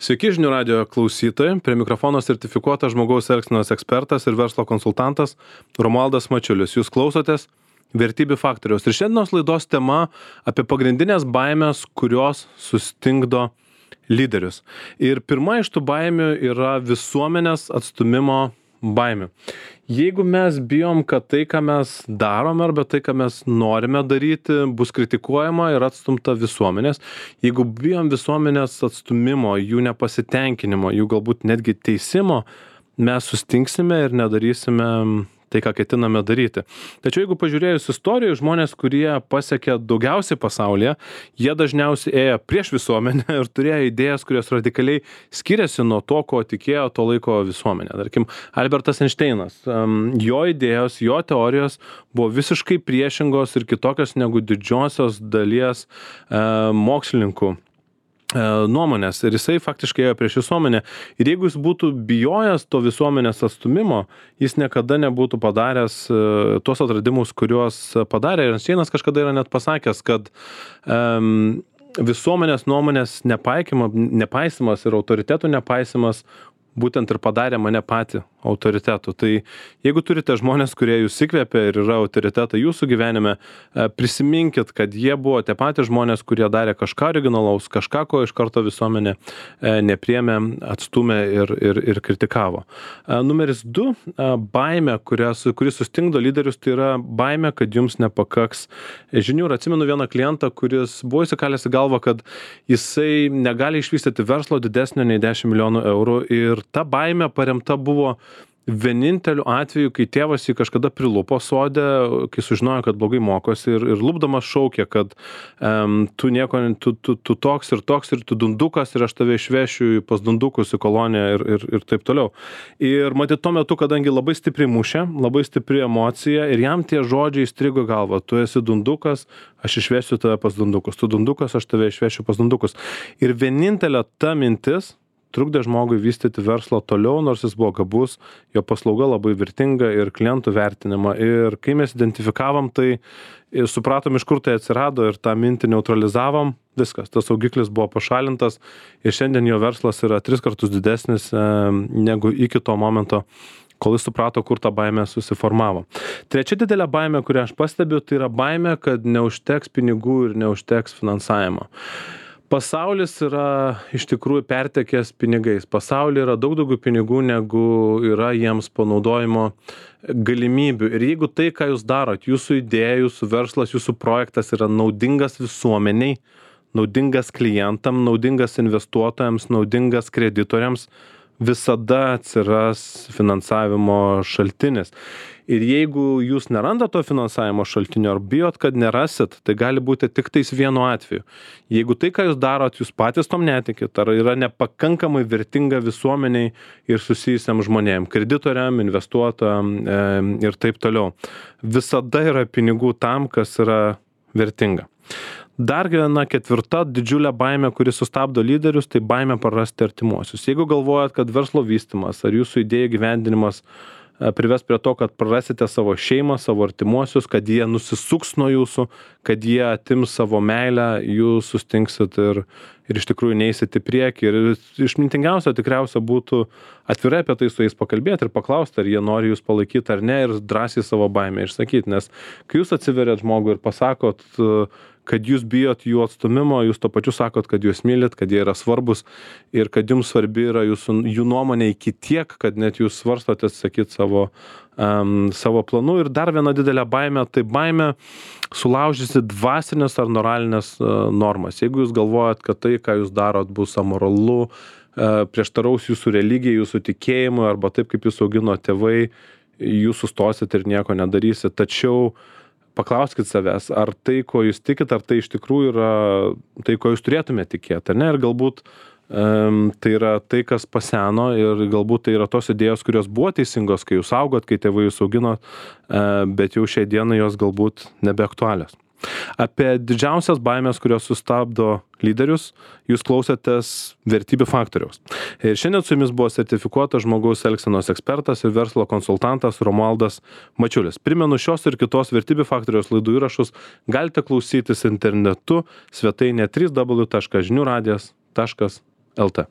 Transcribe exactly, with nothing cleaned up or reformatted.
Sveiki žinių radijo klausytojai, prie mikrofono sertifikuotas žmogaus elgsenos ekspertas ir verslo konsultantas Romualdas Mačiulis. Jūs klausotės Vertybių faktoriaus. Ir šiandienos laidos tema apie pagrindinės baimės, kurios sustingdo lyderius. Ir pirma iš tų baimių yra visuomenės atstūmimo baimė. Jeigu mes bijom, kad tai, ką mes darome arba tai, ką mes norime daryti, bus kritikuojama ir atstumta visuomenės, jeigu bijom visuomenės atstūmimo, jų nepasitenkinimo, jų galbūt netgi teisimo, mes sustingsime ir nedarysime tai, ką ketiname daryti. Tačiau jeigu pažiūrėjus istorijų, žmonės, kurie pasiekė daugiausiai pasaulyje, jie dažniausiai ėjo prieš visuomenę ir turėjo idėjas, kurios radikaliai skiriasi nuo to, ko tikėjo to laiko visuomenė. Tarkim, Albertas Einšteinas, jo idėjos, jo teorijos buvo visiškai priešingos ir kitokios negu didžiosios dalies mokslininkų nuomonės, ir jisai faktiškai ėjo prieš visuomenę. Ir jeigu jis būtų bijojęs to visuomenės atstūmimo, jis niekada nebūtų padaręs tuos atradimus, kuriuos padarė. Ir Einšteinas kažkada yra net pasakęs, kad um, visuomenės nuomonės nepaisimas ir autoritetų nepaisimas būtent ir padarė mane patį autoritetu. Tai jeigu turite žmonės, kurie jūs įkvėpia ir yra autoritetai jūsų gyvenime, prisiminkit, kad jie buvo tie patys žmonės, kurie darė kažką originalaus, kažką, ko iš karto visuomenė nepriėmė, atstūmė ir, ir, ir kritikavo. Numeris du, baimė, kurias, kuris sustingdo lyderius, tai yra baimė, kad jums nepakaks žinių. Ir atsimenu vieną klientą, kuris buvo įsikalęs į galvą, kad jisai negali išvystyti verslo didesnio nei dešimt milijonų eurų, ir ta baimė paremta buvo vieninteliu atveju, kai tėvas jį kažkada prilupo sode, kai sužinojo, kad blogai mokosi, ir, ir lupdamas šaukė, kad um, tu nieko, tu, tu, tu toks ir toks, ir tu dundukas, ir aš tave išvešiu pas dundukus į koloniją ir, ir, ir taip toliau. Ir matyt, tuo metu, kadangi labai stipriai mušė, labai stipri emocija, ir jam tie žodžiai įstrigo galvą: tu esi dundukas, aš išvesiu tave pas dundukus, tu dundukas, aš tave išvešiu pas dundukus. Ir vienintelė ta mintis trukdė žmogui vystyti verslą toliau, nors jis buvo gabus, jo paslauga labai vertinga ir klientų vertinima. Ir kai mes identifikavom tai ir supratom, iš kur tai atsirado, ir tą mintį neutralizavom, viskas, tas saugiklis buvo pašalintas, ir šiandien jo verslas yra tris kartus didesnis e, negu iki to momento, kol jis suprato, kur ta baimė susiformavo. Trečia didelė baimė, kurią aš pastebiu, tai yra baimė, kad neužteks pinigų ir neužteks finansavimo. Pasaulis yra iš tikrųjų pertekęs pinigais. Pasaulyje yra daug daugiau pinigų, negu yra jiems panaudojimo galimybių. Ir jeigu tai, ką jūs darot, jūsų idėja, jūsų verslas, jūsų projektas yra naudingas visuomeniai, naudingas klientam, naudingas investuotojams, naudingas kreditoriams, visada atsiras finansavimo šaltinis. Ir jeigu jūs nerandat to finansavimo šaltinio ar bijot, kad nerasit, tai gali būti tik tais vienu atveju. Jeigu tai, ką jūs darot, jūs patys tom netikit, ar yra nepakankamai vertinga visuomeniai ir susijusiam žmonėm, kreditoriam, investuotojam e, ir taip toliau. Visada yra pinigų tam, kas yra vertinga. Dar viena ketvirta didžiulė baimė, kuri sustabdo lyderius, tai baimė prarasti artimuosius. Jeigu galvojat, kad verslo vystymas ar jūsų idėjų gyvendinimas prives prie to, kad prarasite savo šeimą, savo artimuosius, kad jie nusisuks nuo jūsų, kad jie atims savo meilę, jūs sustingsit ir, ir iš tikrųjų neisit į priekį. Ir išmintingiausia tikriausia būtų atvirai apie tai su jais pakalbėti ir paklausti, ar jie nori jūs palaikyti ar ne, ir drąsiai savo baimę išsakyti. Nes kai jūs atsiverėt žmogui ir pasakot, kad jūs bijot jų atstūmimo, jūs to pačiu sakot, kad jūs mylit, kad jie yra svarbus ir kad jums svarbi yra jūsų, jų nuomonė iki tiek, kad net jūs svarstote atsakyti savo, um, savo planų. Ir dar viena didelė baimė, tai baimė sulaužysi dvasinės ar moralinės uh, normas. Jeigu jūs galvojat, kad tai, ką jūs darot, bus amoralu, uh, prieštaraus jūsų religijai, jūsų tikėjimui, arba taip, kaip jūs augino tėvai, jūs sustosit ir nieko nedarysit. Tačiau paklauskit savęs, ar tai, ko jūs tikit, ar tai iš tikrųjų yra tai, ko jūs turėtumėte tikėti, ne? Ir galbūt um, tai yra tai, kas paseno, ir galbūt tai yra tos idėjos, kurios buvo teisingos, kai jūs augot, kai tėvai jūs augino, uh, bet jau šiai dienai jos galbūt nebeaktualios. Apie didžiausias baimės, kurios sustabdo lyderius, jūs klausėtės Vertybių faktoriaus. Ir šiandien su jumis buvo sertifikuotas žmogaus elgsenos ekspertas ir verslo konsultantas Romualdas Mačiulis. Primenu, šios ir kitos Vertybių faktoriaus laidų įrašus galite klausytis internetu svetainėje w w w taškas žinių radijas taškas l t.